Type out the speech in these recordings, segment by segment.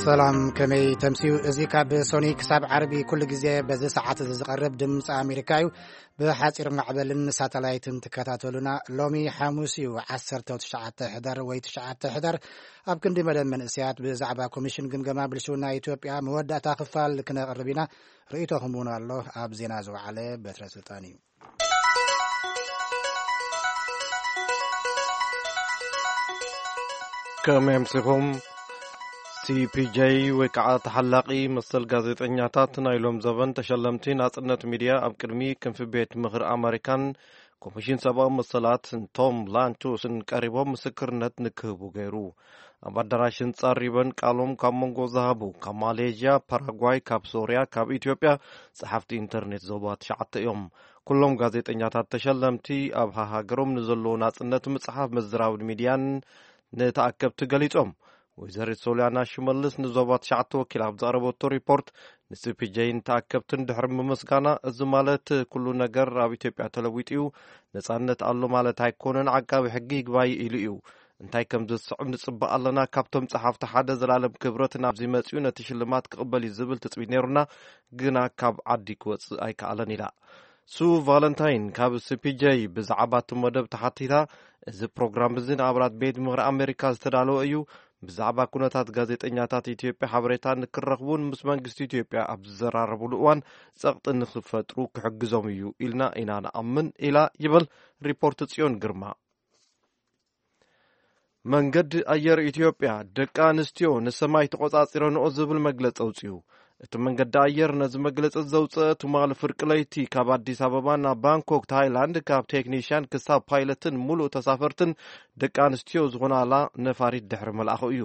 ሰላም፣ ከመይ ተምስዩ? እዚ ካብ ሶኒ ክሳብ ዓርቢ ኩሉ ግዜ በዚ ሰዓት እዚ ዝቐርብ ድምፂ ኣሜሪካ እዩ። ብሓፂር ማዕበልን ሳተላይትን ትከታተሉና። ሎሚ ሓሙስ እዩ፣ ዓሰርተ ትሽዓተ ሕዳር ወይ ትሽዓተ ሕዳር። ኣብ ክንዲ መደብ መንእሰያት ብዛዕባ ኮሚሽን ግምገማ ብልሽውና ኢትዮጵያ መወዳእታ ክፋል ክነቕርብ ኢና። ርእይቶኹም እውን ኣሎ ኣብ ዜና ዝወዓለ በትረ ስልጣን እዩ። ከመይ ኣምሲኹም? ሲፒጀይ ወይ ከዓ ተሓላቒ መሰል ጋዜጠኛታት ናይ ሎም ዘበን ተሸለምቲ ናጽነት ሚድያ ኣብ ቅድሚ ክንፊ ቤት ምኽሪ ኣመሪካን ኮሚሽን ሰብኣዊ መሰላት ቶም ላንቶስን ቀሪቦም ምስክርነት ንክህቡ ገይሩ። ኣብ ኣዳራሽ ህንጻ ሪበን ቃሎም ካብ መንጎ ዝሃቡ ካብ ማሌዥያ፣ ፓራጓይ፣ ካብ ሶርያ፣ ካብ ኢትዮጵያ ጸሓፍቲ ኢንተርኔት ዞባ ትሽዓተ እዮም። ኩሎም ጋዜጠኛታት ተሸለምቲ ኣብ ሃሃገሮም ንዘለዎ ናጽነት ምጽሓፍ ምዝራብን ሚድያን ንተኣከብቲ ገሊጾም። ወይዘሪት ሶልያና ሽመልስ ንዞባ ትሽዓተ ወኪል ኣብ ዘቕረበቶ ሪፖርት ንሲፒጀይን ተኣከብትን ድሕሪ ምምስጋና፣ እዚ ማለት ኩሉ ነገር ኣብ ኢትዮጵያ ተለዊጡ እዩ፣ ነጻነት ኣሎ ማለት ኣይኮነን፣ ዓቃቢ ሕጊ ይግባይ ኢሉ እዩ። እንታይ ከም ዝስዕብ ንጽበ ኣለና። ካብቶም ጸሓፍቲ ሓደ ዘላለም ክብረት ናብዚ መጺኡ ነቲ ሽልማት ክቕበል እዩ ዝብል ትጽቢት ነይሩና፣ ግና ካብ ዓዲ ክወጽእ ኣይከኣለን ኢላ። ሱ ቫለንታይን ካብ ሲፒጀይ ብዛዕባ እቲ መደብ ተሓቲታ፣ እዚ ፕሮግራም እዚ ንኣባላት ቤት ምኽሪ ኣሜሪካ ዝተዳለወ እዩ። ብዛዕባ ኩነታት ጋዜጠኛታት ኢትዮጵያ ሓበሬታ ንክረኽቡን ምስ መንግስቲ ኢትዮጵያ ኣብ ዝዘራረቡሉ እዋን ጸቕጢ ንክፈጥሩ ክሕግዞም እዩ ኢልና ኢና ንኣምን ኢላ ይብል ሪፖርት ጽዮን ግርማ። መንገዲ ኣየር ኢትዮጵያ ደቂ ኣንስትዮ ንሰማይ ተቖጻጺረንኦ ዝብል መግለጺ ኣውጺኡ። እቲ መንገዲ ኣየር ነዚ መግለጺ ዘውጽአ ትማሊ ፍርቂ ለይቲ ካብ ኣዲስ ኣበባ ናብ ባንኮክ ታይላንድ ካብ ቴክኒሽያን ክሳብ ፓይለትን ሙሉእ ተሳፈርትን ደቂ ኣንስትዮ ዝኾናላ ነፋሪት ድሕሪ መልኣኹ እዩ።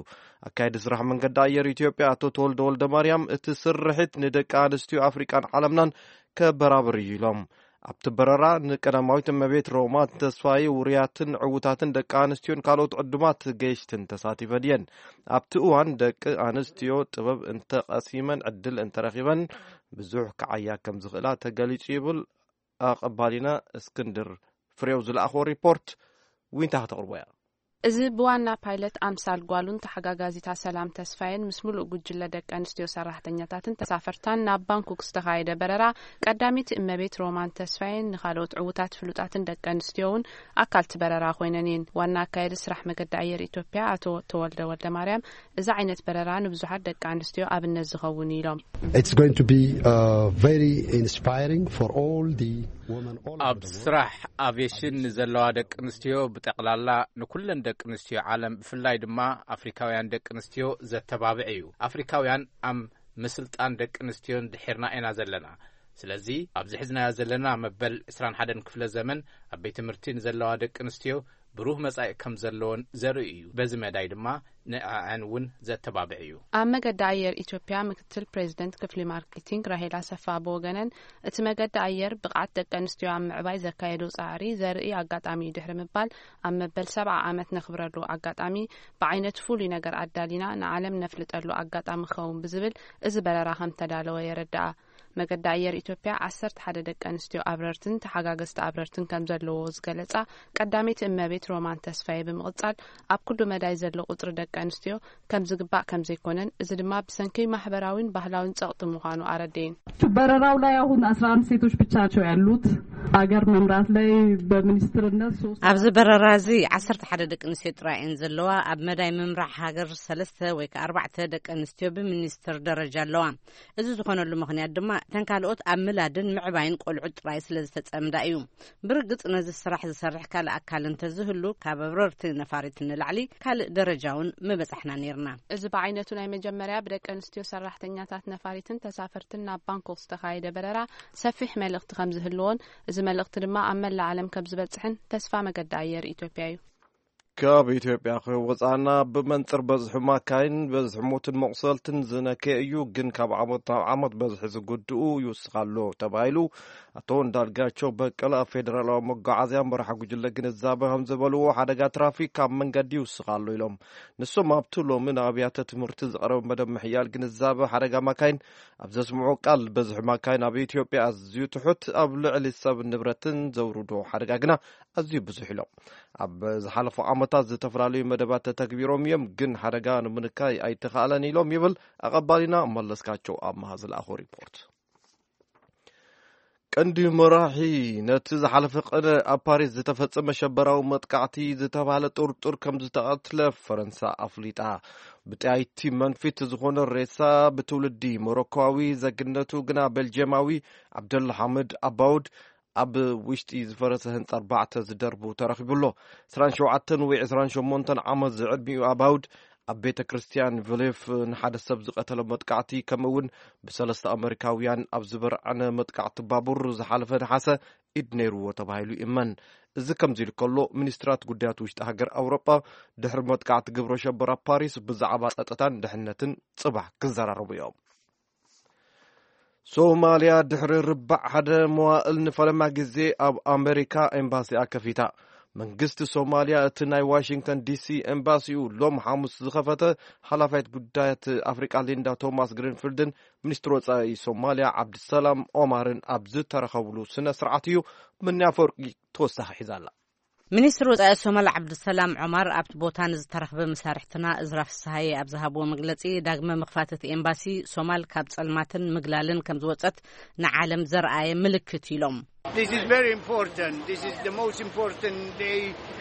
ኣካየዲ ስራሕ መንገዲ ኣየር ኢትዮጵያ ኣቶ ተወልደ ወልደ ማርያም እቲ ስርሒት ንደቂ ኣንስትዮ ኣፍሪቃን ዓለምናን ከበራብር እዩ ኢሎም። ኣብቲ በረራ ንቀዳማዊት እመቤት ሮማ ተስፋዬ ውሩያትን ዕዉታትን ደቂ ኣንስትዮን ካልኦት ዕዱማት ገየሽትን ተሳቲፈን እየን። ኣብቲ እዋን ደቂ ኣንስትዮ ጥበብ እንተቐሲመን ዕድል እንተረኺበን ብዙሕ ክዓያ ከም ዝኽእላ ተገሊጹ ይብል ኣቐባሊና እስክንድር ፍሬው ዝለኣኽዎ ሪፖርት። ዊንታ ከተቕርቦ እያ። እዚ ብዋና ፓይለት ኣምሳል ጓሉን ተሓጋጋዚታ ሰላም ተስፋየን ምስ ሙሉእ ጉጅለ ደቂ ኣንስትዮ ሰራሕተኛታትን ተሳፈርታን ናብ ባንኮክ ዝተኻየደ በረራ ቀዳሚት እመቤት ሮማን ተስፋየን ንኻልኦት ዕዉታት ፍሉጣትን ደቂ ኣንስትዮ እውን ኣካልቲ በረራ ኮይነን እየን። ዋና ኣካየዲ ስራሕ መገዲ ኣየር ኢትዮጵያ ኣቶ ተወልደ ወልደ ማርያም እዚ ዓይነት በረራ ንብዙሓት ደቂ ኣንስትዮ ኣብነት ዝኸውን እዩ ኢሎም። It's going to be uh, very inspiring for all the women all over ኣብ the world. ስራሕ ኣቪዬሽን ንዘለዋ ደቂ ኣንስትዮ ብጠቕላላ ንኩለን ደቂ ኣንስትዮ ዓለም ብፍላይ ድማ ኣፍሪካውያን ደቂ ኣንስትዮ ዘተባብዕ እዩ። ኣፍሪካውያን ኣብ ምስልጣን ደቂ ኣንስትዮን ድሒርና ኢና ዘለና። ስለዚ ኣብዚ ሕዝናዮ ዘለና መበል ዕስራን ሓደን ክፍለ ዘመን ኣብ ቤት ትምህርቲ ንዘለዋ ደቂ ኣንስትዮ ብሩህ መጻኢ ከም ዘለዎን ዘርኢ እዩ። በዚ መዳይ ድማ ንዕዐን እውን ዘተባብዕ እዩ። ኣብ መገዲ ኣየር ኢትዮጵያ ምክትል ፕሬዚደንት ክፍሊ ማርኬቲንግ ራሄል ኣሰፋ ብወገነን እቲ መገዲ ኣየር ብቕዓት ደቂ ኣንስትዮ ኣብ ምዕባይ ዘካየዶ ጻዕሪ ዘርኢ ኣጋጣሚ እዩ ድሕሪ ምባል ኣብ መበል ሰብዓ ዓመት ነኽብረሉ ኣጋጣሚ ብዓይነቱ ፍሉይ ነገር ኣዳሊና ንዓለም ነፍልጠሉ ኣጋጣሚ ክኸውን ብዝብል እዚ በረራ ከም ተዳለወ የረድኣ። መገዲ ኣየር ኢትዮጵያ ዓሰርተ ሓደ ደቂ ኣንስትዮ ኣብረርትን ተሓጋገዝቲ ኣብረርትን ከም ዘለዎ ዝገለጻ ቀዳመይቲ እመቤት ሮማን ተስፋዬ ብምቕጻል ኣብ ኩሉ መዳይ ዘሎ ቁጽሪ ደቂ ኣንስትዮ ከም ዝግባእ ከም ዘይኮነን እዚ ድማ ብሰንኪ ማሕበራዊን ባህላዊን ጸቕጢ ምዃኑ ኣረድኤን። በረራው ላይ አሁን አስራ አንድ ሴቶች ብቻ ናቸው ያሉት። አገር መምራት ላይ በሚኒስትርነት ሶስት ኣብዚ በረራ እዚ ዓሰርተ ሓደ ደቂ ኣንስትዮ ጥራይ እየን ዘለዋ። ኣብ መዳይ ምምራሕ ሃገር ሰለስተ ወይ ከዓ ኣርባዕተ ደቂ ኣንስትዮ ብሚኒስትር ደረጃ ኣለዋ። እዚ ዝኾነሉ ምኽንያት ድማ እተን ካልኦት ኣብ ምላድን ምዕባይን ቆልዑ ጥራይ ስለ ዝተጸምዳ እዩ። ብርግጽ ነዚ ስራሕ ዝሰርሕ ካልእ ኣካል እንተዝህሉ ካብ ኣብረርቲ ነፋሪት ንላዕሊ ካልእ ደረጃ እውን ምበጻሕና ነይርና። እዚ ብዓይነቱ ናይ መጀመርያ ብደቂ ኣንስትዮ ሰራሕተኛታት ነፋሪትን ተሳፈርትን ናብ ባንኮክ ዝተኻየደ በረራ ሰፊሕ መልእኽቲ ከም ዝህልዎን እዚ መልእኽቲ ድማ ኣብ መላእ ዓለም ከም ዝበጽሕን ተስፋ መገዲ ኣየር ኢትዮጵያ እዩ። ካብ ኢትዮጵያ ክወፃና ብመንፅር በዝሒ ማካይን በዝሒ ሞትን መቑሰልትን ዝነከየ እዩ፣ ግን ካብ ዓመት ናብ ዓመት በዝሒ ዝጉድኡ ይውስኽ ኣሎ ተባሂሉ። ኣቶ እንዳልጋቸው በቀለ ኣብ ፌደራላዊ መጓዓዝያ መራሒ ጉጅለ ግንዛበ ከም ዝበልዎ ሓደጋ ትራፊክ ካብ መንገዲ ይውስኽ ኣሎ ኢሎም። ንሶም ኣብቲ ሎሚ ንኣብያተ ትምህርቲ ዝቐረበ መደብ ምሕያል ግንዛበ ሓደጋ ማካይን ኣብ ዘስምዑ ቃል በዝሒ ማካይን ኣብ ኢትዮጵያ ኣዝዩ ትሑት፣ ኣብ ልዕሊ ሰብ ንብረትን ዘውርዶ ሓደጋ ግና ኣዝዩ ብዙሕ ኢሎም። ኣብ ዝሓለፉ ዓመታት ዝተፈላለዩ መደባት ተተግቢሮም እዮም፣ ግን ሓደጋ ንምንካይ ኣይተኻእለን ኢሎም ይብል ኣቐባሊና መለስካቸው ኣምሃ ዝለኣኾ ሪፖርት። ቀንዲ መራሒ ነቲ ዝሓለፈ ቀነ ኣብ ፓሪስ ዝተፈጸመ ሸበራዊ መጥቃዕቲ ዝተባህለ ጥርጡር ከም ዝተቐትለ ፈረንሳ ኣፍሊጣ። ብጣይቲ መንፊት ዝኾነ ሬሳ፣ ብትውልዲ ሞሮኮዊ፣ ዘግነቱ ግና ቤልጅየማዊ፣ ዓብደልሓምድ ኣባውድ፣ ኣብ ውሽጢ ዝፈረሰ ህንጻ ኣርባዕተ ዝደርቡ ተረኺቡ ኣሎ። ዕስራን ሸውዓተን ወይ ዕስራን ሸሞንተን ዓመት ዝዕድሚኡ ኣባውድ፣ ኣብ ቤተ ክርስቲያን ቪሌፍ ንሓደ ሰብ ዝቐተለ መጥቃዕቲ፣ ከምኡ እውን ብሰለስተ ኣመሪካውያን ኣብ ዝበርዐነ መጥቃዕቲ ባቡር ዝሓለፈ ነሓሰ ኢድ ነይርዎ ተባሂሉ ይእመን። እዚ ከምዚ ኢሉ ከሎ፣ ሚኒስትራት ጉዳያት ውሽጢ ሃገር ኣውሮጳ ድሕሪ መጥቃዕቲ ግብረ ሸበራ ፓሪስ ብዛዕባ ጸጥታን ድሕነትን ጽባሕ ክዘራረቡ እዮም። ሶማልያ ድሕሪ ርባዕ ሓደ መዋእል ንፈለማ ግዜ ኣብ ኣመሪካ ኤምባሲኣ ከፊታ። መንግስቲ ሶማልያ እቲ ናይ ዋሽንግተን ዲሲ ኤምባሲኡ ሎም ሓሙስ ዝኸፈተ፣ ሓላፋይት ጉዳያት ኣፍሪቃ ሊንዳ ቶማስ ግሪንፊልድን ሚኒስትር ወጻኢ ሶማልያ ዓብድሰላም ኦማርን ኣብ ዝተረኸብሉ ስነ ስርዓት እዩ። ምንያ ፈርቂ ተወሳኺ ሒዛ ኣላ። ሚኒስትር ወጻኢ ሶማል ዓብድሰላም ዑማር ኣብቲ ቦታ ንዝተረኽበ መሳርሕትና እዝራ ፍስሃየ ኣብ ዝሃብዎ መግለጺ፣ ዳግመ ምኽፋት እቲ ኤምባሲ ሶማል ካብ ጸልማትን ምግላልን ከም ዝወጸት ንዓለም ዘርኣየ ምልክት ኢሎም። This is very important. This is the most important day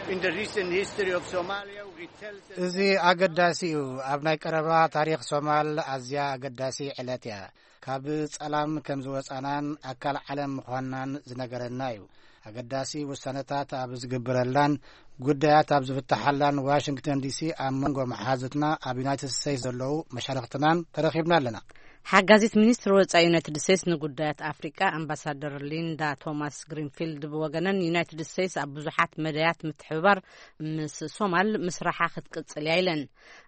in the recent history of Somalia. It tells us እዚ ኣገዳሲ እዩ። ኣብ ናይ ቀረባ ታሪኽ ሶማል ኣዝያ ኣገዳሲ ዕለት እያ። ካብ ጸላም ከም ዝወጻናን ኣካል ዓለም ምዃንናን ዝነገረና እዩ። ኣገዳሲ ውሳነታት ኣብ ዝግብረላን ጉዳያት ኣብ ዝፍትሓላን ዋሽንግተን ዲሲ ኣብ መንጎ መሓዙትና ኣብ ዩናይትድ ስቴትስ ዘለዉ መሻርኽትናን ተረኺብና ኣለና። ሓጋዚት ሚኒስትር ወጻኢ ዩናይትድ ስቴትስ ንጉዳያት ኣፍሪቃ ኣምባሳደር ሊንዳ ቶማስ ግሪንፊልድ ብወገነን፣ ዩናይትድ ስቴትስ ኣብ ብዙሓት መዳያት ምትሕብባር ምስ ሶማል ምስራሓ ክትቅጽል እያ ኢለን።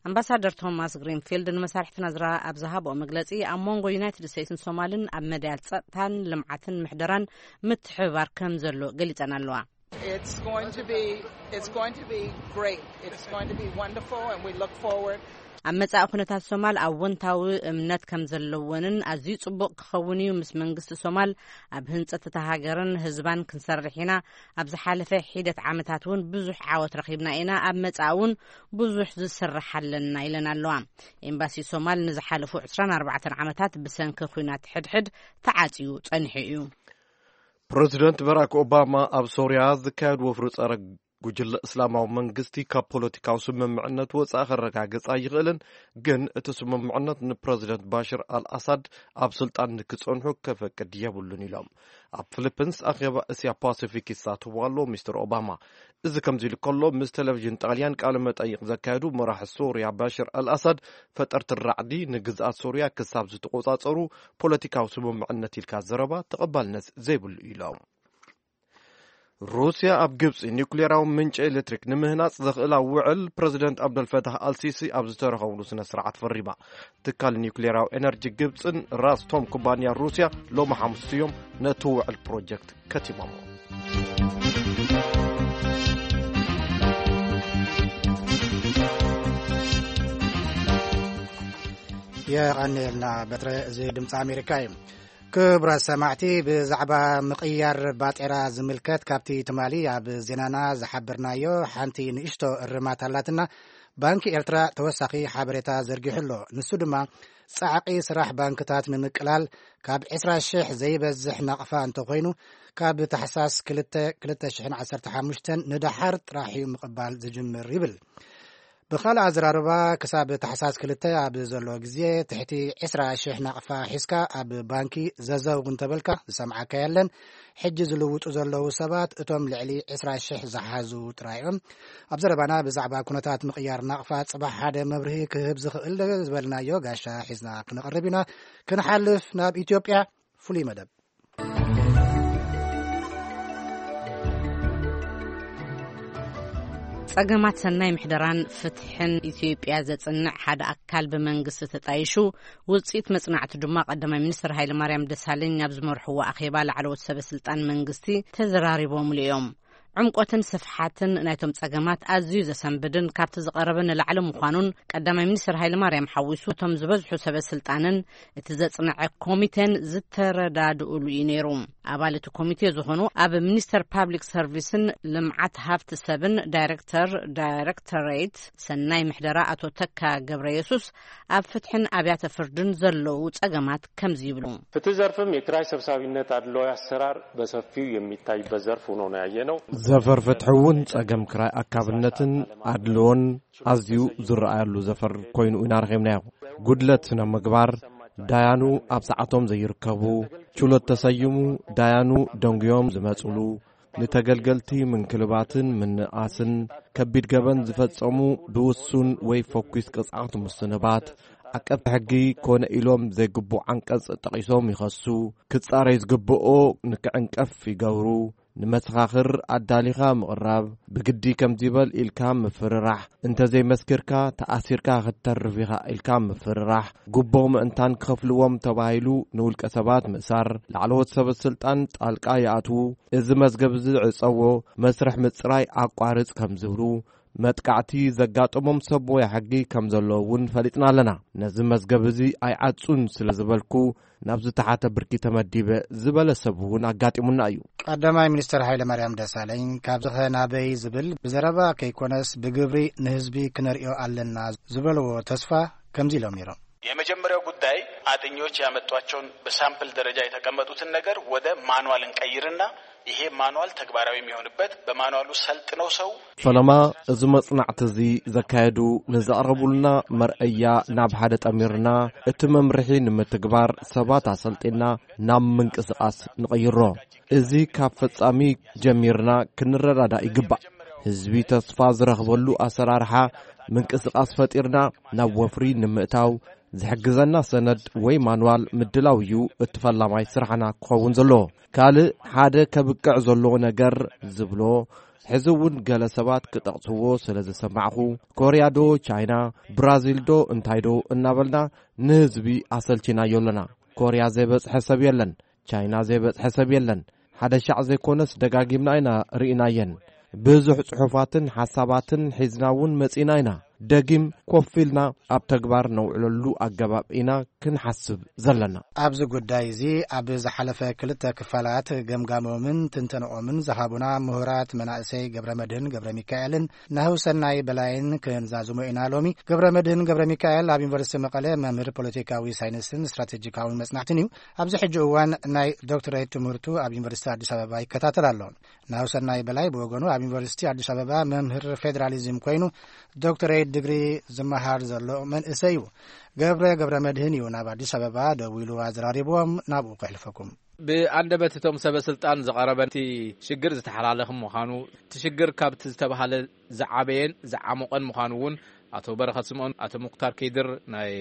ኣምባሳደር ቶማስ ግሪንፊልድ ንመሳርሕትና ዝራ ኣብ ዝሃብኦ መግለጺ፣ ኣብ መንጎ ዩናይትድ ስቴትስን ሶማልን ኣብ መዳያት ጸጥታን ልምዓትን ምሕደራን ምትሕብባር ከም ዘሎ ገሊጸን ኣለዋ። It's going to be, it's going to be great. It's going to be wonderful, and we look forward. ኣብ መጻኢ ኩነታት ሶማል ኣወንታዊ እምነት ከም ዘለወንን ኣዝዩ ጽቡቕ ክኸውን እዩ። ምስ መንግስቲ ሶማል ኣብ ህንጸት እታ ሃገርን ህዝባን ክንሰርሕ ኢና። ኣብ ዝሓለፈ ሒደት ዓመታት እውን ብዙሕ ዓወት ረኺብና ኢና። ኣብ መጻኢ እውን ብዙሕ ዝስራሕ ኣለና ኢለን ኣለዋ። ኤምባሲ ሶማል ንዝሓለፉ ዕስራን ኣርባዕተን ዓመታት ብሰንኪ ኲናት ሕድሕድ ተዓጽዩ ጸኒሑ እዩ። ፕረዚደንት በራክ ኦባማ ኣብ ሶርያ ዝካየድ ወፍሪ ጸረ ጉጅለ እስላማዊ መንግስቲ ካብ ፖለቲካዊ ስምምዕነት ወጻኢ ከረጋግጽ ኣይኽእልን፣ ግን እቲ ስምምዕነት ንፕረዚደንት ባሽር ኣልኣሳድ ኣብ ስልጣን ንክጸንሑ ከፈቅድ የብሉን ኢሎም። ኣብ ፊሊፒንስ ኣኼባ እስያ ፓሲፊክ ይሳተፉ ኣለዉ ሚስተር ኦባማ። እዚ ከምዚ ኢሉ ከሎ፣ ምስ ቴሌቪዥን ጣልያን ቃለ መጠይቕ ዘካየዱ መራሒ ሶርያ ባሽር ኣልኣሳድ፣ ፈጠርቲ ራዕዲ ንግዝኣት ሶርያ ክሳብ ዝተቆጻጸሩ ፖለቲካዊ ስምምዕነት ኢልካ ዘረባ ተቐባልነት ዘይብሉ ኢሎም። ሩስያ ኣብ ግብጺ ኒውክሌራዊ ምንጪ ኤሌክትሪክ ንምህናጽ ዘኽእላ ውዕል ፕረዚደንት ኣብደልፈታህ ኣልሲሲ ኣብ ዝተረኸብሉ ስነ ስርዓት ፈሪማ። ትካል ኒውክሌራዊ ኤነርጂ ግብጽን ራስቶም ኩባንያ ሩስያ ሎሚ ሓሙስ እዮም ነቲ ውዕል ፕሮጀክት ከቲሞሞ። የቐንየልና በትረ። እዚ ድምፂ ኣሜሪካ እዩ። ክቡራት ሰማዕቲ፣ ብዛዕባ ምቕያር ባጤራ ዝምልከት ካብቲ ትማሊ ኣብ ዜናና ዝሓበርናዮ ሓንቲ ንእሽቶ እርማት ኣላትና። ባንኪ ኤርትራ ተወሳኺ ሓበሬታ ዘርጊሑ ኣሎ። ንሱ ድማ ጻዕቒ ስራሕ ባንክታት ንምቅላል ካብ ዕስራ ሽሕ ዘይበዝሕ ናቕፋ እንተኾይኑ፣ ካብ ታሕሳስ ክልተ ክልተ ሽሕን ዓሰርተ ሓሙሽተን ንደሓር ጥራሕ እዩ ምቕባል ዝጅምር ይብል። ብኻልእ ኣዘራርባ፣ ክሳብ ታሕሳስ ክልተ ኣብ ዘሎ ግዜ ትሕቲ ዕስራ ሽሕ ናቕፋ ሒዝካ ኣብ ባንኪ ዘዘው እንተበልካ ዝሰምዓካ የለን። ሕጂ ዝልውጡ ዘለዉ ሰባት እቶም ልዕሊ ዕስራ ሽሕ ዝሓዙ ጥራይ እዮም። ኣብ ዘረባና ብዛዕባ ኩነታት ምቕያር ናቕፋ ጽባሕ ሓደ መብርሂ ክህብ ዝኽእል ዝበልናዮ ጋሻ ሒዝና ክንቐርብ ኢና። ክንሓልፍ ናብ ኢትዮጵያ ፍሉይ መደብ። ጸገማት ሰናይ ምሕደራን ፍትሕን ኢትዮጵያ ዘጽንዕ ሓደ ኣካል ብመንግስቲ ተጣይሹ፣ ውጽኢት መጽናዕቲ ድማ ቀዳማይ ሚኒስትር ሃይለማርያም ደሳለኝ ኣብ ዝመርሕዎ ኣኼባ ላዕለዎት ሰበ ስልጣን መንግስቲ ተዘራሪቦምሉ እዮም። ዕምቆትን ስፍሓትን ናይቶም ጸገማት ኣዝዩ ዘሰንብድን ካብቲ ዝቐረበ ንላዕሊ ምዃኑን ቀዳማይ ሚኒስትር ሃይለማርያም ሓዊሱ እቶም ዝበዝሑ ሰበ ስልጣንን እቲ ዘጽንዐ ኮሚቴን ዝተረዳድኡሉ እዩ ነይሩ። ኣባል እቲ ኮሚቴ ዝኾኑ ኣብ ሚኒስተር ፓብሊክ ሰርቪስን ልምዓት ሃፍቲ ሰብን ዳይሬክተር ዳይሬክተሬት ሰናይ ምሕደራ ኣቶ ተካ ገብረ የሱስ፣ ኣብ ፍትሕን ኣብያተ ፍርድን ዘለዉ ጸገማት ከምዚ ይብሉ። ፍትህ ዘርፍም የኪራይ ሰብሳቢነት አድልዎ አሰራር በሰፊው የሚታይበት ዘርፍ ሆኖ ነው ያየነው። ዘፈር ፍትሒ እውን ጸገም ክራይ ኣካብነትን ኣድልዎን ኣዝዩ ዝረኣየሉ ዘፈር ኮይኑ ኢና ረኺብናዮ። ጉድለት ስነ ምግባር፣ ዳያኑ ኣብ ሰዓቶም ዘይርከቡ፣ ችሎት ተሰይሙ ዳያኑ ደንጉዮም ዝመጽሉ፣ ንተገልገልቲ ምንክልባትን ምንእኣስን፣ ከቢድ ገበን ዝፈጸሙ ብውሱን ወይ ፈኲስ ቅጽዓት ምስንባት፣ ዓቀብቲ ሕጊ ኮነ ኢሎም ዘይግቡእ ዓንቀጽ ጠቒሶም ይኸሱ፣ ክጻረይ ዝግብኦ ንክዕንቀፍ ይገብሩ፣ ንመሰኻኽር ኣዳሊኻ ምቕራብ፣ ብግዲ ከምዚ በል ኢልካ ምፍርራሕ፣ እንተዘይመስኪርካ ተኣሲርካ ክትተርፍ ኢኻ ኢልካ ምፍርራሕ፣ ጉቦ ምእንታን ክኸፍልዎም ተባሂሉ ንውልቀ ሰባት ምእሳር፣ ላዕለዎት ሰበ ስልጣን ጣልቃ ይኣትዉ፣ እዚ መዝገብ እዚ ዕጸዎ፣ መስርሕ ምጽራይ ኣቋርጽ ከም ዝብሉ፣ መጥቃዕቲ ዘጋጠሞም ሰብ ሞያ ሕጊ ከም ዘለዉ እውን ፈሊጥና ኣለና። ነዚ መዝገብ እዚ ኣይዓጹን ስለ ዝበልኩ፣ ናብ ዝተሓተ ብርኪ ተመዲበ ዝበለ ሰብ እውን ኣጋጢሙና እዩ። ቀዳማይ ሚኒስተር ሃይለ ማርያም ደሳለኝ፣ ካብዚ ኸ ናበይ ዝብል ብዘረባ ከይኮነስ ብግብሪ ንህዝቢ ክነርእዮ ኣለና ዝበልዎ ተስፋ ከምዚ ኢሎም ነይሮም። የመጀመሪያው ጉዳይ፣ አጥኚዎች ያመጧቸውን በሳምፕል ደረጃ የተቀመጡትን ነገር ወደ ማኑዋል እንቀይርና፣ ይሄ ማኑዋል ተግባራዊ የሚሆንበት፣ በማኑዋሉ ሰልጥነው ሰው ፈለማ፣ እዚ መጽናዕቲ እዚ ዘካየዱ ንዘቕረቡልና መርኣያ ናብ ሓደ ጠሚርና፣ እቲ መምርሒ ንምትግባር ሰባት ኣሰልጢና ናብ ምንቅስቓስ ንቐይሮ። እዚ ካብ ፈጻሚ ጀሚርና ክንረዳዳእ ይግባእ። ህዝቢ ተስፋ ዝረኽበሉ ኣሰራርሓ ምንቅስቓስ ፈጢርና ናብ ወፍሪ ንምእታው ዝሕግዘና ሰነድ ወይ ማንዋል ምድላው እዩ እቲ ፈላማይ ስራሕና ክኸውን ዘለዎ። ካልእ ሓደ ከብቅዕ ዘለዎ ነገር ዝብሎ፣ ሕዚ እውን ገለ ሰባት ክጠቕስዎ ስለ ዝሰማዕኹ፣ ኮርያ ዶ ቻይና፣ ብራዚል ዶ እንታይ ዶ እናበልና ንህዝቢ ኣሰልቺናዮ ኣለና። ኮርያ ዘይበጽሐ ሰብ የለን፣ ቻይና ዘይበጽሐ ሰብ የለን። ሓደ ሻዕ ዘይኮነስ ደጋጊምና ኢና ርኢናየን። ብዙሕ ጽሑፋትን ሓሳባትን ሒዝና እውን መጺና ኢና። ደጊም ኮፍ ኢልና ኣብ ተግባር ነውዕለሉ ኣገባብ ኢና ክንሓስብ ዘለና። ኣብዚ ጉዳይ እዚ ኣብ ዝሓለፈ ክልተ ክፋላት ገምጋሞምን ትንተንኦምን ዝሃቡና ምሁራት መናእሰይ ገብረ መድህን ገብረ ሚካኤልን ናህውሰናይ በላይን ክንዛዝሞ ኢና ሎሚ። ገብረ መድህን ገብረ ሚካኤል ኣብ ዩኒቨርሲቲ መቐለ መምህር ፖለቲካዊ ሳይንስን ስትራቴጂካውን መጽናዕትን እዩ። ኣብዚ ሕጂ እዋን ናይ ዶክትሬት ትምህርቱ ኣብ ዩኒቨርሲቲ ኣዲስ ኣበባ ይከታተል ኣሎ። ናህውሰናይ በላይ ብወገኑ ኣብ ዩኒቨርሲቲ ኣዲስ ኣበባ መምህር ፌዴራሊዝም ኮይኑ ዶክትሬት ዲግሪ ዝመሃር ዘሎ መንእሰይ እዩ። ገብረ ገብረ መድህን እዩ ናብ ኣዲስ ኣበባ ደዊሉ ኣዘራሪብዎም። ናብኡ ከሕልፈኩም። ብኣንደበት እቶም ሰበ ስልጣን ዝቐረበ እቲ ሽግር ዝተሓላለኸ ምዃኑ፣ እቲ ሽግር ካብቲ ዝተባሃለ ዝዓበየን ዝዓሞቐን ምዃኑ እውን ኣቶ በረኸት ስምኦን፣ ኣቶ ሙክታር ከይድር ናይ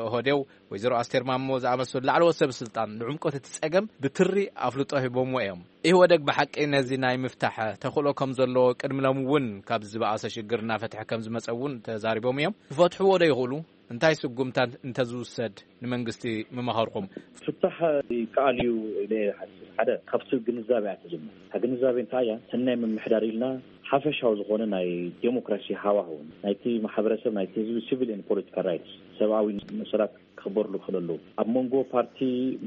ኦህዴው፣ ወይዘሮ ኣስቴር ማሞ ዝኣመሰሉ ላዕለዎት ሰብ ስልጣን ንዕምቆት እቲ ጸገም ብትሪ ኣፍልጦ ሂቦምዎ እዮም። ኢህወደግ ብሓቂ ነዚ ናይ ምፍታሕ ተኽእሎ ከም ዘለዎ ቅድሚ ሎሚ እውን ካብ ዝበኣሰ ሽግር እናፈትሐ ከም ዝመጸ እውን ተዛሪቦም እዮም። ክፈትሕዎ ዶ ይኽእሉ? እንታይ ስጉምታት እንተዝውሰድ ንመንግስቲ ምመኸርኩም? ፍታሕ ይከኣል እዩ ኢለ እየ ዝሓስብ። ሓደ ካብቲ ግንዛቤ እያ ትጅምር። እታ ግንዛቤ እንታይ እያ? ሰናይ ምምሕዳር ኢልና ሓፈሻዊ ዝኾነ ናይ ዴሞክራሲ ሃዋህው፣ ናይቲ ማሕበረሰብ፣ ናይቲ ህዝቢ ሲቪል ኤንድ ፖለቲካል ራይትስ፣ ሰብኣዊ መሰላት ክኽበርሉ ክኽእል ኣለዎ። ኣብ መንጎ ፓርቲ፣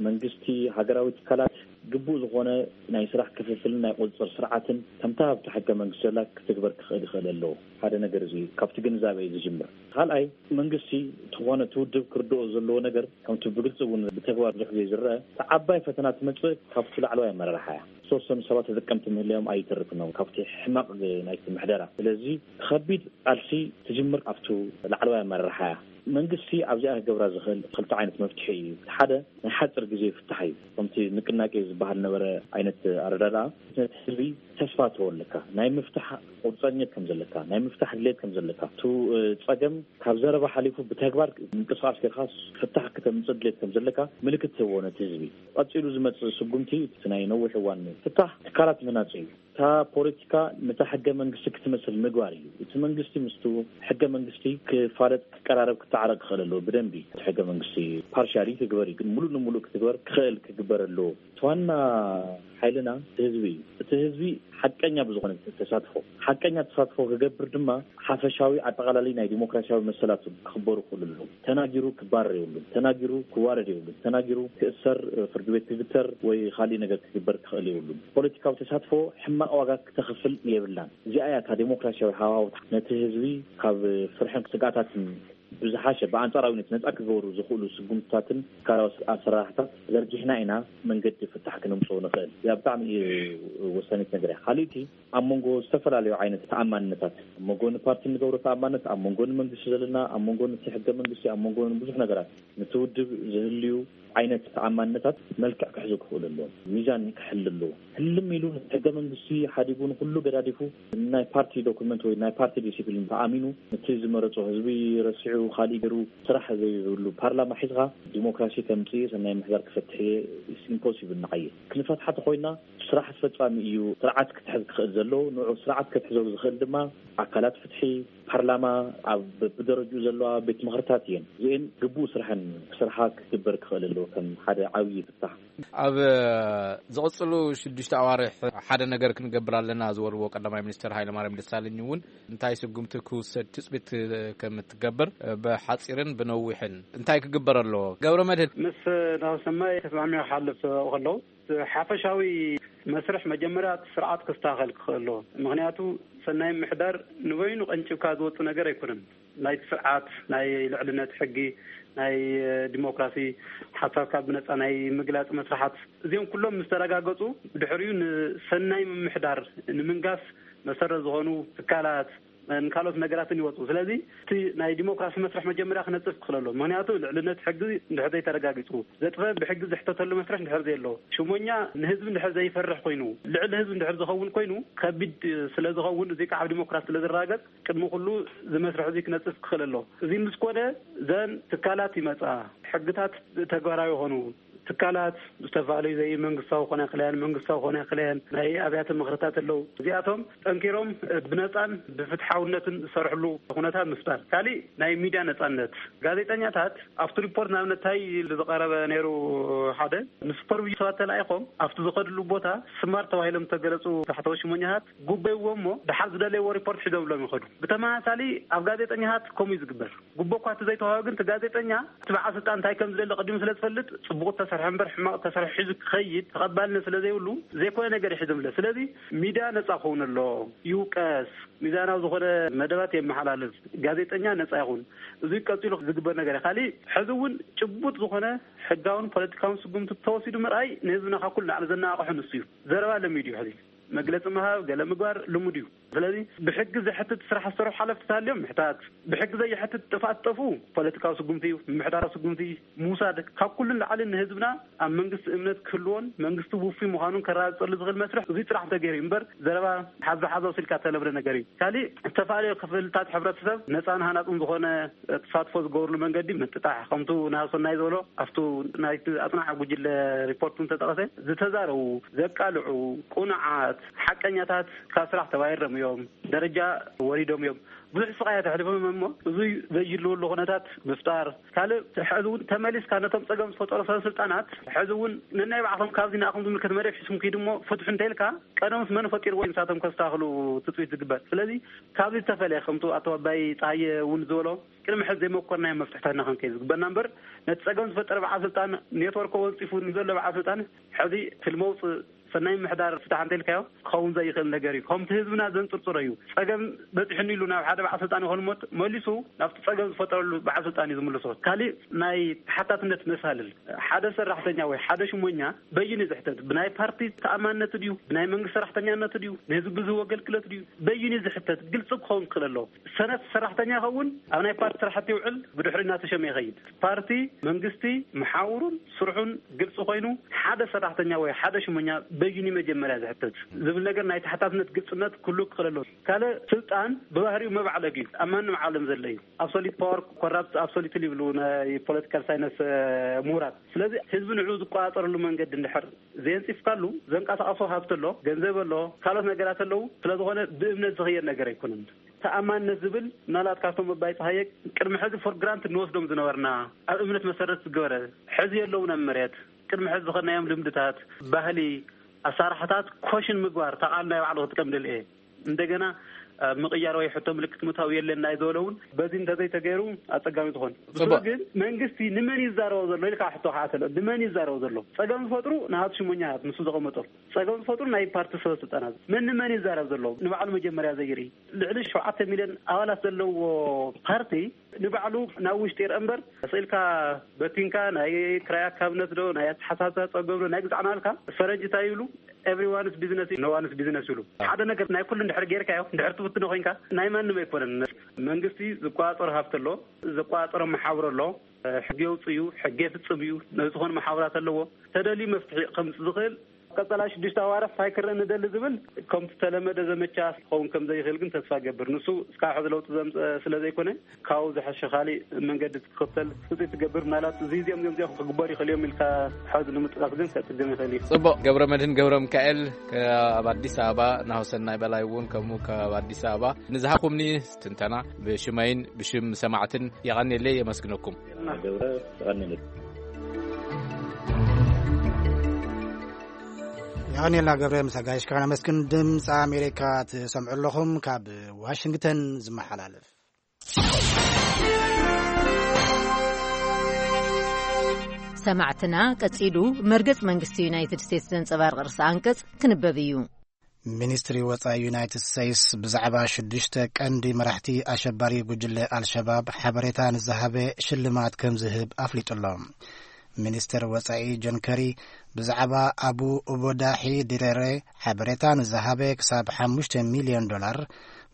መንግስቲ፣ ሃገራዊ ትካላት ግቡእ ዝኾነ ናይ ስራሕ ክፍፍልን ናይ ቁፅፅር ስርዓትን ከምታ ኣብቲ ሕገ መንግስቲ ዘላ ክትግበር ክኽእል ይኽእል ኣለዎ። ሓደ ነገር እዚ ካብቲ ግንዛቤ እዩ ዝጅምር። ካልኣይ፣ መንግስቲ ዝኾነ እቲ ውድብ ክርድኦ ዘለዎ ነገር፣ ከምቲ ብግልፂ እውን ብተግባር ብዙሕ ግዜ ዝረአ፣ እቲ ዓባይ ፈተና ትመፅእ ካብቲ ላዕለዋይ ኣመራርሓ እያ። ዝተወሰኑ ሰባት ተጠቀምቲ ምህላዮም ኣይተርፍን እዮም ካብቲ ሕማቕ ናይቲ ምሕደራ። ስለዚ ከቢድ ቃልሲ ትጅምር ኣብቱ ላዕለዋይ ኣመራርሓ እያ። መንግስቲ ኣብዚኣ ክገብራ ዝኽእል ክልተ ዓይነት መፍትሒ እዩ። እቲ ሓደ ናይ ሓፂር ግዜ ፍታሕ እዩ። ከምቲ ንቅናቄ ዝበሃል ነበረ ዓይነት ኣረዳድኣ፣ ነቲ ህዝቢ ተስፋ ተወልካ ናይ ምፍታሕ ቁርፀኝነት ከም ዘለካ፣ ናይ ምፍታሕ ድሌት ከም ዘለካ፣ እቲ እ፣ ፀገም ካብ ዘረባ ሓሊፉ ብተግባር ምንቅስቃስ ጌርካ ፍታሕ ክተምፅእ ድሌት ከም ዘለካ ምልክት ትህቦ ነቲ ህዝቢ። ቀፂሉ ዝመፅእ ስጉምቲ እቲ ናይ ነዊሕ እዋን ፍታሕ ትካላት ምህናፅ እዩ። እታ ፖለቲካ ነታ ሕገ መንግስቲ ክትመስል ምግባር እዩ። እቲ መንግስቲ ምስቱ ሕገ መንግስቲ ክፋለጥ፣ ክቀራረብ፣ ክተዓረቅ ክኽእል ኣለዎ። ብደንቢ እቲ ሕገ መንግስቲ ፓርሻሊ ክግበር እዩ፣ ግን ሙሉእ ንሙሉእ ክትግበር ክኽእል ክግበር ኣለዎ። እቲ ዋና ሓይልና እቲ ህዝቢ እዩ። እቲ ህዝቢ ሓቀኛ ብዝኾነ ተሳትፎ፣ ሓቀኛ ተሳትፎ ክገብር ድማ ሓፈሻዊ ኣጠቓላሊ ናይ ዲሞክራሲያዊ መሰላቱ ክኽበሩ ክኽእሉ ኣለዎ። ተናጊሩ ክባረር የብሉን። ተናጊሩ ክዋረድ የብሉን። ተናጊሩ ክእሰር፣ ፍርዲ ቤት ክግተር ወይ ካሊእ ነገር ክግበር ክኽእል የብሉን። ፖለቲካዊ ተሳትፎ ሕማቕ ዋጋ ክተኽፍል የብላን። እዚኣ እያ እታ ዴሞክራሲያዊ ሃዋህውታ ነቲ ህዝቢ ካብ ፍርሕን ስግኣታትን ብዝሓሸ ብኣንጻራዊነት ነጻ ክገብሩ ዝኽእሉ ስጉምትታትን ትካላዊ ኣሰራርሕታት ዘርጊሕና ኢና መንገዲ ፍታሕ ክነምጽኦ ንኽእል። እዚኣ ብጣዕሚ እዩ ወሳኒት ነገር እያ። ካልእቲ ኣብ መንጎ ዝተፈላለዩ ዓይነት ተኣማንነታት፣ ኣብ መንጎ ንፓርቲ እንገብሮ ተኣማንነት፣ ኣብ መንጎ ንመንግስቲ ዘለና፣ ኣብ መንጎ ነቲ ሕገ መንግስቲ፣ ኣብ መንጎ ብዙሕ ነገራት ነቲ ውድብ ዝህልዩ ዓይነት ተኣማንነታት መልክዕ ክሕዙ ክኽእሉ ኣለዎም። ሚዛን ክሕሉ ኣለዎ። ህልም ኢሉ ሕገ መንግስቲ ሓዲጉ ንኩሉ ገዳዲፉ ናይ ፓርቲ ዶኩመንት ወይ ናይ ፓርቲ ዲሲፕሊን ተኣሚኑ ነቲ ዝመረጾ ህዝቢ ረሲዑ ካሊእ ገይሩ ስራሕ ዘይብሉ ፓርላማ ሒዝኻ ዲሞክራሲ ከምጽእ ሰናይ ምሕዳር ክፈትሕ እየ ኢምፖሲብል ንዓየ። ክንፈትሓ ተኾይና ስራሕ ኣስፈጻሚ እዩ ስርዓት ክትሕዝ ክኽእል ዘሎ። ንዑ ስርዓት ክትሕዞ ዝኽእል ድማ ኣካላት ፍትሒ፣ ፓርላማ፣ ኣብ ብደረጅኡ ዘለዋ ቤት ምኽርታት እየን። እዚአን ግቡእ ስርሐን ክስርሓ ክግበር ክኽእል ኣለዎ ከም ሓደ ዓብዪ ፍታሕ። ኣብ ዝቕጽሉ ሽዱሽተ ኣዋርሕ ሓደ ነገር ክንገብር ኣለና ዝበልዎ ቀዳማይ ሚኒስትር ሃይለማርያም ደሳለኝ እውን እንታይ ስጉምቲ ክውሰድ ትጽቢት ከም እትገብር ብሓጺርን ብነዊሕን እንታይ ክግበር ኣለዎ? ገብረ መድህን። ምስ ናሁሰናይ ተስማዕሚዑ ክሓልፍ ከለዉ ሓፈሻዊ መስርሕ መጀመርያ እቲ ስርዓት ክስተኻኸል ክኽእል ኣለዎ። ምኽንያቱ ሰናይ ምሕዳር ንበይኑ ቀንጭብካ ዝወጽእ ነገር ኣይኮነን። ናይቲ ስርዓት ናይ ልዕልነት ሕጊ፣ ናይ ዲሞክራሲ፣ ሓሳብካ ብነጻ ናይ ምግላጽ መስርሓት፣ እዚኦም ኩሎም ምስ ተረጋገጹ ብድሕሪኡ ንሰናይ ምምሕዳር ንምንጋስ መሰረት ዝኾኑ ትካላት፣ ንካልኦት ነገራትን ይወፁ። ስለዚ እቲ ናይ ዲሞክራሲ መስርሕ መጀመርያ ክነፅፍ ክኽእል ኣሎ። ምክንያቱ ልዕልነት ሕጊ እንድሕር ዘይተረጋጊፁ፣ ዘጥፈ ብሕጊ ዝሕተተሉ መስርሕ እንድሕር ዘየሎ፣ ሽሞኛ ንህዝቢ እንድሕር ዘይፈርሕ ኮይኑ፣ ልዕሊ ህዝቢ እንድሕር ዝኸውን ኮይኑ ከቢድ ስለ ዝኸውን፣ እዚ ከዓ ኣብ ዲሞክራሲ ስለ ዝረጋገፅ ቅድሚ ኩሉ እዚ መስርሕ እዚ ክነፅፍ ክኽእል ኣሎ። እዚ ምስ ኮነ ዘን ትካላት ይመፃ፣ ሕግታት ተግባራዊ ይኾኑ። ትካላት ዝተፈላለዩ ዘይመንግስታዊ ክኾና ይኽእላ እየን፣ መንግስታዊ ክኾና ይኽእላ እየን፣ ናይ ኣብያተ ምኽርታት ኣለዉ። እዚኣቶም ጠንኪሮም ብነፃን ብፍትሓውነትን ዝሰርሕሉ ኩነታት ምፍጣር። ካሊእ ናይ ሚድያ ነፃነት፣ ጋዜጠኛታት ኣብቲ ሪፖርት ንኣብነት እንታይ ኢሉ ዝቐረበ ነይሩ፣ ሓደ ንሱፐርቪዥን ሰባት ተላኢኾም ኣብቲ ዝኸድሉ ቦታ ስማርት ተባሂሎም ዝተገለፁ ታሕተዎት ሽሞኛታት ጉቦ ይህብዎም እሞ ድሓር ዝደለይዎ ሪፖርት ሒዞምሎም ይኸዱ። ብተመሳሳሊ ኣብ ጋዜጠኛታት ከምኡ እዩ ዝግበር። ጉቦ እኳ እቲ ዘይተዋህበ ግን እቲ ጋዜጠኛ እቲ በዓል ስልጣን እንታይ ከም ዝደሊ ቀዲሙ ስለ ዝፈልጥ ጽቡቕ ተሰርሐ እምበር ሕማቕ ተሰርሐ ሒዙ ክኸይድ ተቐባልነት ስለ ዘይብሉ ዘይኮነ ነገር ይሕዝምለ። ስለዚ ሚድያ ነጻ ክኸውን ኣሎ፣ ይውቀስ፣ ሚዛናዊ ዝኾነ መደባት የመሓላልፍ፣ ጋዜጠኛ ነጻ ይኹን። እዚ ቀጺሉ ዝግበር ነገር እዩ። ካሊእ ሕዚ እውን ጭቡጥ ዝኾነ ሕጋውን ፖለቲካውን ስጉምቲ ተወሲዱ ምርኣይ ንህዝብና ካብ ኩሉ ላዕሊ ዘነቓቕሖ ንሱ እዩ። ዘረባ ለሚዱ እዩ ሕዚ። መግለፂ ምሃብ፣ ገለ ምግባር ልሙድ እዩ። ስለዚ ብሕጊ ዘሕትት ስራሕ ዝሰርሑ ሓለፍቲ ተሃልዮም ምሕታት፣ ብሕጊ ዘየሕትት ጥፍኣት ዝጠፍኡ ፖለቲካዊ ስጉምቲ እዩ፣ ምምሕዳራዊ ስጉምቲ ምውሳድ፣ ካብ ኩሉ ንላዕሊ ንህዝብና ኣብ መንግስቲ እምነት ክህልዎን መንግስቲ ውፉይ ምዃኑን ከረጋግፀሉ ዝኽእል መስርሕ እዙይ ጥራሕ እንተገይሩ እዩ እምበር ዘረባ ሓዛ ሓዛ ወሲልካ እተለብረ ነገር እዩ። ካሊእ ዝተፈላለዩ ክፍልታት ሕብረተሰብ ነፃን ሃናፅን ዝኾነ ተሳትፎ ዝገብርሉ መንገዲ ምጥጣሕ፣ ከምቱ ናሰናይ ዝበሎ ኣብቱ ናይቲ ኣፅናዕ ጉጅለ ሪፖርት እንተጠቐሰ ዝተዛረቡ፣ ዘቃልዑ፣ ቁኑዓት፣ ሓቀኛታት ካብ ስራሕ ተባይሮም እዮም፣ ደረጃ ወሪዶም እዮም። ብዙሕ ስቓያት ኣሕሊፎም እዮም እሞ እዙይ ዘይህልወሉ ኩነታት ምፍጣር። ካልእ ሕዚ እውን ተመሊስካ ነቶም ፀገም ዝፈጠሩ ሰብ ስልጣናት ሕዚ እውን ነናይ ባዕኹም ካብዚ ንኣኹም ዝምልከት መደብ ሒዝኩም ኪዱ እሞ ፍትሑ እንተኢልካ ቀደምስ መን ፈጢርዎ እዩ ንሳቶም ከስተኻኽሉ ትፅቢት ዝግበር። ስለዚ ካብዚ ዝተፈለየ ከምቱ ኣቶ ኣባይ ፀሃየ እውን ዝበሎ ቅድሚ ሕዚ ዘይመኮርናዮ መፍትሕታት ኢና ክንከይድ ዝግበና እምበር ነቲ ፀገም ዝፈጠረ በዓል ስልጣን ኔትወርክ ወንፂፉ ንዘሎ በዓል ስልጣን ሕዚ ትልሚ ኣውፅእ ሰናይ ምሕዳር ፍታሕ እንተኢልካዮ ክኸውን ዘይኽእል ነገር እዩ። ከምቲ ህዝብና ዘንፅርፅሮ እዩ። ፀገም በፂሑኒ ኢሉ ናብ ሓደ በዓል ስልጣን ይኾን እሞ መሊሱ ናብቲ ፀገም ዝፈጠረሉ በዓል ስልጣን እዩ ዝምልሶ። ካሊእ ናይ ተሓታትነት መሳልል ሓደ ሰራሕተኛ ወይ ሓደ ሽሞኛ በይኑ ዝሕተት ብናይ ፓርቲ ተኣማንነቱ ድዩ ብናይ መንግስቲ ሰራሕተኛነቱ ድዩ ንህዝቢ ዝህቦ ኣገልግሎት ድዩ በይኑ ዝሕተት ግልፂ ክኸውን ክኽእል ኣለዎ። ሰነፍ ሰራሕተኛ ይኸውን ኣብ ናይ ፓርቲ ስራሕቲ ይውዕል ብድሕሪ እናተሸመ ይኸይድ። ፓርቲ መንግስቲ መሓውሩን ስርሑን ግልፂ ኮይኑ ሓደ ሰራሕተኛ ወይ ሓደ ሽሞኛ በይኑ መጀመርያ ዝሕተት ዝብል ነገር ናይ ተሓታትነት ግልጽነት ኩሉ ክኽእል ኣለዎ። ካልእ ስልጣን ብባህሪኡ መባዕለግ እዩ። ኣብ ማንም ዓለም ዘሎ እዩ። ኣብሶሊት ፓወር ኮራፕት ኣብሶሊት ይብሉ ናይ ፖለቲካል ሳይንስ ምሁራት። ስለዚ ህዝቢ ንዑ ዝቆጻጸረሉ መንገዲ እንድሕር ዘየንጺፍካሉ፣ ዘንቀሳቐሶ ሃብቲ ኣሎ፣ ገንዘብ ኣሎ፣ ካልኦት ነገራት ኣለዉ። ስለዝኾነ ብእምነት ዝኽየድ ነገር ኣይኮነን። ተኣማንነት ዝብል ምናልባት ካብቶም ኣባይ ፀሃየ ቅድሚ ሕዚ ፎር ግራንት እንወስዶም ዝነበርና፣ ኣብ እምነት መሰረት ዝገበረ፣ ሕዚ የለውን ኣብ መሬት። ቅድሚ ሕዚ ዝኸድናዮም ልምድታት፣ ባህሊ፣ ኣሳራሕታት ኮሽን ምግባር፣ ተቓል ናይ ባዕሉ ክትቀም ደልየ እንደገና ምቕያር ወይ ሕቶ ምልክት ምታው የለን ናይ ዝበለ እውን በዚ እንተዘይተገይሩ ኣፀጋሚ ዝኾን ብስሩ። ግን መንግስቲ ንመን ይዛረቦ ዘሎ ኢልካ ሕቶ ከዓ ተለ ንመን ይዛረቦ ዘሎ? ፀገም ዝፈጥሩ ንሃት ሽሞኛታት ንሱ ዘቐመጦም ፀገም ዝፈጥሩ ናይ ፓርቲ ሰበ ስልጣናት። መን ንመን ይዛረብ ዘሎ ንባዕሉ መጀመርያ ዘይርኢ? ልዕሊ ሸውዓተ ሚልዮን ኣባላት ዘለዎ ፓርቲ ንባዕሉ ናብ ውሽጢ ይርአ እምበር ስኢልካ በቲንካ ናይ ክራይ ኣካብነት ዶ ናይ ኣተሓሳስባ ፀገም ዶ ናይ ግዛዕና ኣልካ ፈረንጂ እንታይ ይብሉ? Everyone's business no one's business ይብሉ። ሓደ ነገር ናይ ኩሉ እንድሕር ጌርካዮ እንድሕር ትብትኖ ኮይንካ ናይ ማንም ኣይኮነን። መንግስቲ ዝቆፃፀሮ ሃፍቲ ኣሎ፣ ዝቆፃፀሮ መሓውር ኣሎ፣ ሕጊ የውፅእ እዩ፣ ሕጊ የፍፅም እዩ። ነዚ ዝኾነ መሓውራት ኣለዎ። ተደልዩ መፍትሒ ከምፅእ ዝኽእል ቀጸላ ሽዱሽተ ኣዋርሕ እንታይ ክረአ ንደሊ ዝብል ከምቲ ተለመደ ዘመቻ ክኸውን ከም ዘይኽእል ግን ተስፋ ገብር። ንሱ እስካብ ሕዚ ለውጢ ዘምፀ ስለ ዘይኮነ ካብኡ ዝሐሸ ካሊእ መንገዲ ትኽተል ትፅቢት ትገብር። ምናልባት እዚ እዚኦም እዚኦም እዚኦም ክግበሩ ይኽእል እዮም ኢልካ ሕዚ ንምጥቃስ ግን ከፅግም ይኽእል እዩ። ጽቡቕ። ገብረ መድህን ገብረ ሚካኤል ካብ ኣዲስ ኣበባ፣ ናሁሰናይ በላይ እውን ከምኡ ካብ ኣዲስ ኣበባ ንዝሃኹምኒ ትንተና ብሽመይን ብሽም ሰማዕትን የቐንየለይ የመስግነኩም። ገብረ የቐንየለይ። የቐንየልና ገብረ፣ ምስ ኣጋይሽካ ነመስግን። ድምፂ ኣሜሪካ ትሰምዑ ኣለኹም። ካብ ዋሽንግተን ዝመሓላለፍ። ሰማዕትና ቀጺሉ መርገጽ መንግስቲ ዩናይትድ ስቴትስ ዘንጸባርቕ ርእሰ ኣንቀጽ ክንበብ እዩ። ሚኒስትሪ ወጻኢ ዩናይትድ ስቴትስ ብዛዕባ ሽዱሽተ ቀንዲ መራሕቲ ኣሸባሪ ጉጅለ ኣልሸባብ ሓበሬታ ንዝሃበ ሽልማት ከም ዝህብ ኣፍሊጡ ኣሎ። ሚኒስትር ወጻኢ ጆን ከሪ ብዛዕባ ኣቡ ኡበዳሒ ዲሬሬ ሓበሬታ ንዝሃበ ክሳብ ሓሙሽተ ሚልዮን ዶላር፣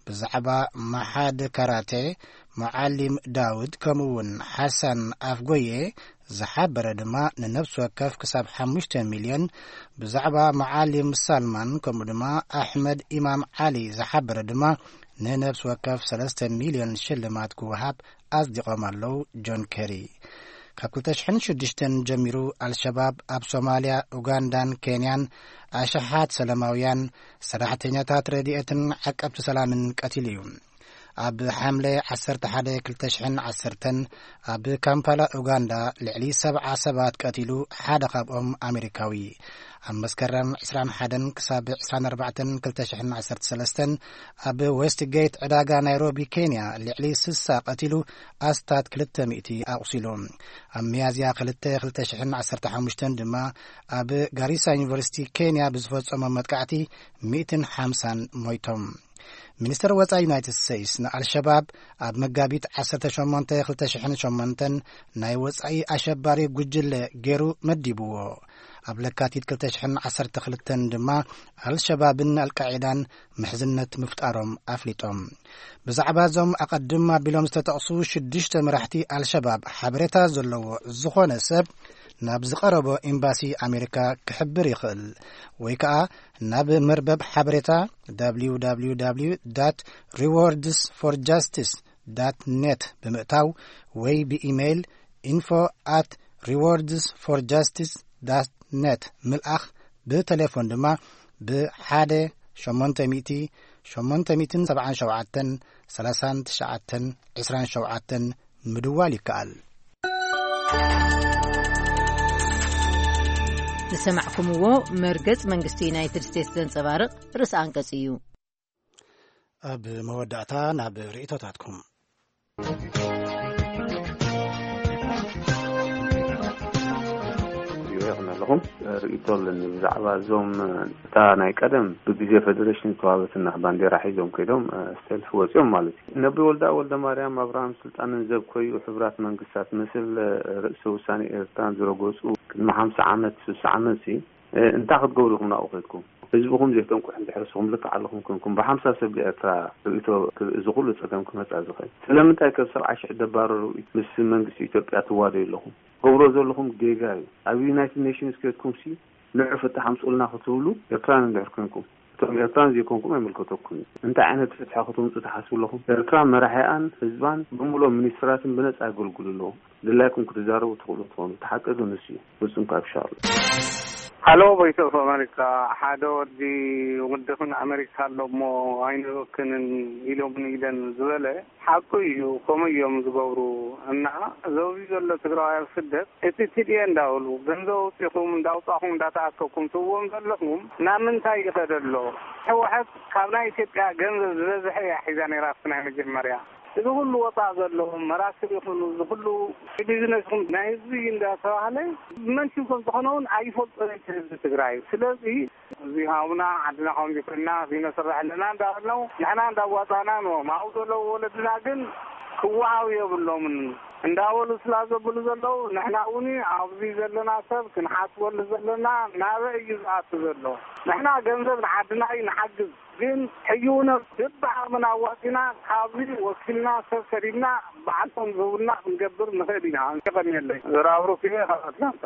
ብዛዕባ መሓድ ካራቴ መዓሊም ዳውድ ከምኡውን ሓሳን ኣፍጎዬ ዝሓበረ ድማ ንነፍሲ ወከፍ ክሳብ ሓሙሽተ ሚልዮን፣ ብዛዕባ መዓሊም ሳልማን ከምኡ ድማ ኣሕመድ ኢማም ዓሊ ዝሓበረ ድማ ንነፍሲ ወከፍ ሰለስተ ሚልዮን ሽልማት ክወሃብ ኣጽዲቖም ኣለዉ። ጆን ኬሪ ካብ ክልተ ሽሕን ሽዱሽተን ጀሚሩ ኣልሸባብ ኣብ ሶማልያ፣ ኡጋንዳን ኬንያን ኣሽሓት ሰላማውያን ሰራሕተኛታት ረድኤትን ዓቀብቲ ሰላምን ቀቲሉ እዩ። ኣብ ሓምለ ዓሰርተ ሓደ ክልተ ሽሕን ዓሰርተን ኣብ ካምፓላ ኡጋንዳ ልዕሊ ሰብዓ ሰባት ቀቲሉ፣ ሓደ ካብኦም ኣሜሪካዊ። ኣብ መስከረም ዕስራን ሓደን ክሳብ ዕስራን ኣርባዕተን ክልተ ሽሕን ዓሰርተ ሰለስተን ኣብ ዌስትጌት ዕዳጋ ናይሮቢ ኬንያ ልዕሊ ስሳ ቀቲሉ፣ ኣስታት ክልተ ሚእቲ ኣቑሲሉ። ኣብ ሚያዝያ ክልተ ክልተ ሽሕን ዓሰርተ ሓሙሽተን ድማ ኣብ ጋሪሳ ዩኒቨርሲቲ ኬንያ ብዝፈጸሞ መጥቃዕቲ ሚእትን ሓምሳን ሞይቶም። ሚኒስተር ወጻኢ ዩናይትድ ስቴትስ ንኣልሸባብ ኣብ መጋቢት ዓሰርተ ሸሞንተ ክልተ ሽሕን ሸሞንተን ናይ ወጻኢ ኣሸባሪ ጉጅለ ገይሩ መዲብዎ። ኣብ ለካቲት ክልተ ሽሕን ዓሰርተ ክልተን ድማ ኣልሸባብን ኣልቃዒዳን ምሕዝነት ምፍጣሮም ኣፍሊጦም። ብዛዕባ እዞም ኣቐድም ኣቢሎም ዝተጠቕሱ ሽዱሽተ መራሕቲ ኣልሸባብ ሓበሬታ ዘለዎ ዝኾነ ሰብ ናብ ዝቐረቦ ኤምባሲ ኣሜሪካ ክሕብር ይኽእል ወይ ከኣ ናብ መርበብ ሓበሬታ www rewards for justice net ብምእታው ወይ ብኢሜይል info at rewards for justice net ምልኣኽ፣ ብቴሌፎን ድማ ብ ሓደ ሸሞንተ ሚእቲ ሸሞንተ ሚእትን ሰብዓን ሸውዓተን ሰላሳን ትሽዓተን ዕስራን ሸውዓተን ምድዋል ይከኣል። ዝሰማዕኩምዎ መርገጽ መንግስቲ ዩናይትድ ስቴትስ ዘንጸባርቕ ርእሰ ኣንቀጽ እዩ። ኣብ መወዳእታ ናብ ርእይቶታትኩም። ይኹን ኣለኹም ርእይቶ ኣለኒ ብዛዕባ እዞም እታ ናይ ቀደም ብግዜ ፌደሬሽን ዝተዋበትና ባንዴራ ሒዞም ከይዶም ሰልፊ ወፂኦም ማለት እዩ። ነቢ ወልዳ ወልደ ማርያም ኣብርሃም ስልጣንን ዘብኮዩ ሕቡራት መንግስታት ምስል ርእሰ ውሳኔ ኤርትራን ዝረገፁ ቅድሚ ሓምሳ ዓመት ስሳ ዓመት ሲ እንታይ ክትገብሩ ኢኹም ናብኡ ከድኩም? ህዝብኹም ዘይተንቁሕ እንድሕር ንስኹም ልክዕ ኣለኹም ኮንኩም ብሓምሳ ሰብ ኤርትራ ርእይቶ እዚ ኩሉ ጸገም ክመጻ ዝኽእል ስለምንታይ ከብ ሰብዓ ሽሕ ደባረሩ ምስ መንግስቲ ኢትዮጵያ ትዋደዩ ኣለኹም? ገብሮ ዘለኹም ጌጋ እዩ። ኣብ ዩናይትድ ኔሽንስ ከድኩም ሲ ንዑ ፍትሕ ኣምጽኡልና ክትብሉ ኤርትራን እንድሕር ኮንኩም፣ እቶም ኤርትራን ዘይኮንኩም ኣይምልከተኩም እዩ። እንታይ ዓይነት ፍትሒ ክትምጹ ትሓስቡ ኣለኹም? ኤርትራ መራሒኣን ህዝባን ብምሉኦም ሚኒስትራትን ብነጻ የገልግሉ ኣለዉ። ድላይኩም ክትዛረቡ ትኽእሉ ትኾኑ። እቲ ሓቂ ግን ንሱ እዩ። ፍጹም ካብ ሻሎ። ሃሎ፣ ቮይስ ኦፍ ኣሜሪካ። ሓደ ወዲ ውድኽን ኣሜሪካ ኣሎ እሞ ኣይንበክንን ኢሎም ኢለን ዝበለ ሓቁ እዩ። ከምኡ እዮም ዝገብሩ። እና ዘውዚ ዘሎ ትግራዋይ ኣብ ስደት እቲ ቲ ዲ ኤ እንዳበሉ ገንዘብ ኣውፂኹም እንዳውፃኹም እንዳተኣከብኩም ትብዎም ዘለኹም ናብ ምንታይ ይኸደ ኣሎ? ህወሓት ካብ ናይ ኢትዮጵያ ገንዘብ ዝበዝሐ እያ ሒዛ ነይራ ኣብቲ ናይ መጀመርያ። እዚ ኩሉ ወፃእ ዘለዎም መራክብ ይኹኑ፣ እዚ ኩሉ ቢዝነስ ይኹን ናይ ህዝቢ እንዳተባህለ መን ሽም ከም ዝኾነ እውን ኣይፈልጦን እቲ ህዝቢ ትግራይ። ስለዚ እዚ ሃቡና ዓድና ከምዚ ኮይና እዚ ነስርሕ ኣለና እንዳበልናው ንሕና እንዳዋፃእና ንዎም። ኣብኡ ዘለዉ ወለድና ግን ክወሃቡ የብሎምን እንዳበሉ ስላ ዘብሉ ዘለዉ፣ ንሕና እውን ኣብዚ ዘለና ሰብ ክንሓስበሉ ዘለና ናበይ እዩ ዝኣቱ ዘሎ? ንሕና ገንዘብ ንዓድና እዩ ንሓግዝ። ግን ሕዩነ ብብዓቕምና ኣዋፂና ካብዚ ወኪልና ሰብ ሰዲድና በዓልቶም ዝህቡና ክንገብር ንኽእል ኢና። የቐንየለይ። ዘራብሩክ እየ ካብ ኣትላንታ።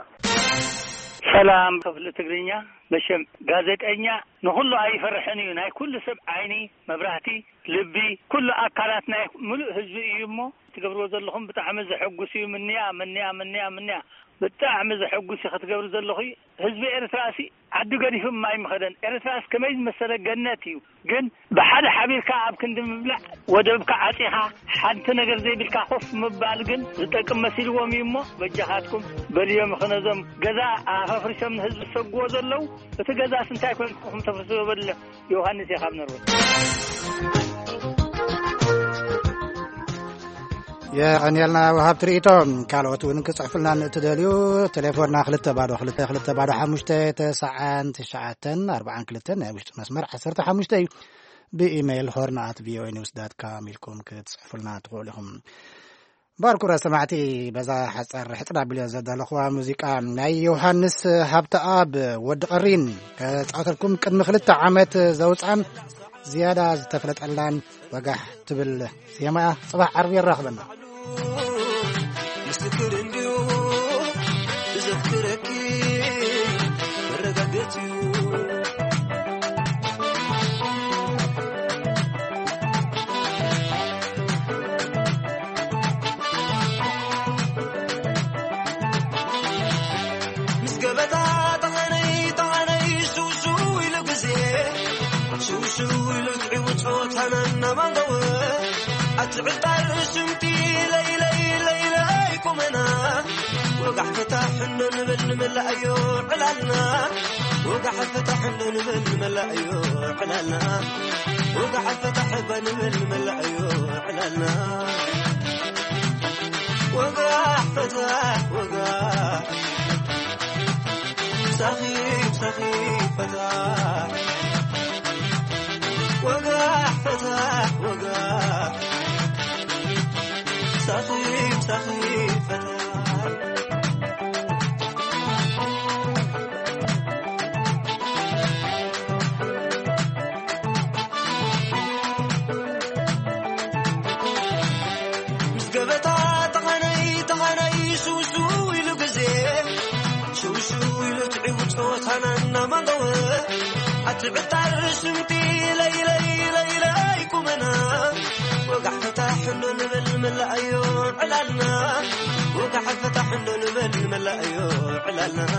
ሰላም ክፍሊ ትግርኛ። መሸም ጋዜጠኛ ንኹሉ ኣይፈርሕን እዩ። ናይ ኩሉ ሰብ ዓይኒ፣ መብራህቲ፣ ልቢ፣ ኩሉ ኣካላት ናይ ምሉእ ህዝቢ እዩ እሞ ትገብርዎ ዘለኹም ብጣዕሚ ዘሐጉስ እዩ። ምንያ፣ ምንያ፣ ምንያ፣ ምንያ። ብጣዕሚ ዘሐጉስ እዩ ክትገብሩ ዘለኹ። ህዝቢ ኤርትራ ሲ ዓዱ ገዲፉ ማይ ምኸደን። ኤርትራስ ከመይ ዝመሰለ ገነት እዩ። ግን ብሓደ ሓቢርካ ኣብ ክንዲ ምብላዕ ወደብካ ዓጺኻ ሓንቲ ነገር ዘይብልካ ኮፍ ምባል ግን ዝጠቅም መሲልዎም እዩ እሞ በጃኻትኩም በልዮም። ኸነዞም ገዛ ኣፈፍሪሶም ንህዝቢ ዝሰግዎ ዘለዉ እቲ ገዛስ እንታይ ኮይንኩም ተፍርስዎ በልለ። ዮሃንስ እየ ካብ ነርወ። የቐንየልና ወሃብቲ ርእይቶ። ካልኦት እውን ክጽሕፉልና ንእትደልዩ ቴሌፎንና ክልተ ባዶ ክልተ ክልተ ባዶ ሓሙሽተ ተስዓን ትሽዓተን ኣርባዓን ክልተን ናይ ውሽጢ መስመር ዓሰርተ ሓሙሽተ እዩ። ብኢሜይል ሆርን ኣት ቪኦኤ ኒውስ ዳት ካም ኢልኩም ክትጽሕፉልና ትኽእሉ ኢኹም። ባርኩራ ሰማዕቲ፣ በዛ ሓጻር ሕጽር ኣቢለ ዘዳለኹዋ ሙዚቃ ናይ ዮሃንስ ሃብተኣብ ወዲ ቀሪን ከጻወተልኩም ቅድሚ ክልተ ዓመት ዘውጽኣን ዝያዳ ዝተፈለጠላን ወጋሕ ትብል ዜማያ ጽባሕ ዓርቢ የራኽበና። ምስክር እንዲሁ እዘክረኪ መረጋገጽ እዩ። ምስ ገበታ ጠኸነይ ጠኸነይ ሽውሽው ኢሉ ግዜ ሽውሽው ኢሉ ትዒቡ ጾታና እናማንገወ ኣቲ ዕጣር ሽምቲ ለይለይ ለይለይ ቁመና ወጋሕ ፈታሕ እንዶ ንብል ንመላእዮ ዕላልና ወጋሕ ፈታሕ እንዶ ንብል ንመላእዮ ዕላልና ወጋሕ ፈታሕ እባ ንብል ንመላእዮ ዕላልና ወጋሕ ፈታሕ ወጋሕ ሳኺ ሳኺ ፈታሕ ወጋሕ ፈታሕ ወጋሕ ሳኺ ሳኺ ፈታሕ ምስ ገበታ ተኻነይ ተኻነይ ሽውሽው ኢሉ ግዜ ሽውሽው ኢሉ ትዒቡ ጸወታና እናማንገወ ኣቲ ዕጣር ሽምቲ ለይለይ ለይለይ ቁመና ወጋሕ ፈታሕ እንዶ ንበል ንመላእዮ ዕላልና ወጋሕ ፈታሕ እንዶ ንበል ንመላእዮ ዕላልና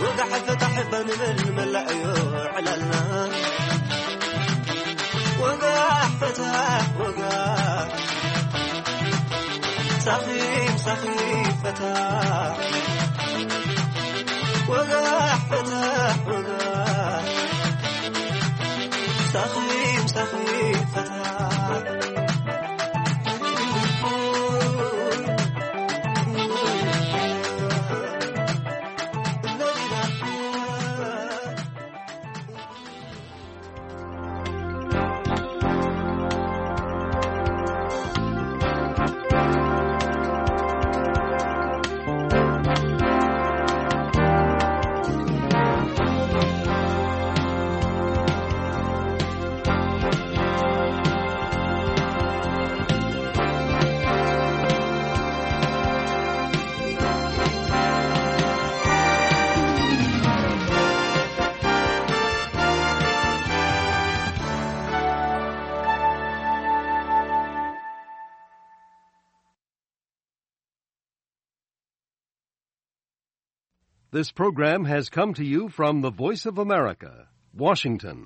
ወጋሕ ፈታሕ እባ ንበል ንመላእዮ ዕላልና ወጋሕ ፈታሕ ወጋሕ ሳኺም ሳኺም ፈታሕ ወጋሕ ፈታሕ ወጋሕ ሳኺም ሳኺም ፈታሕ This program has come to you from the Voice of America, Washington.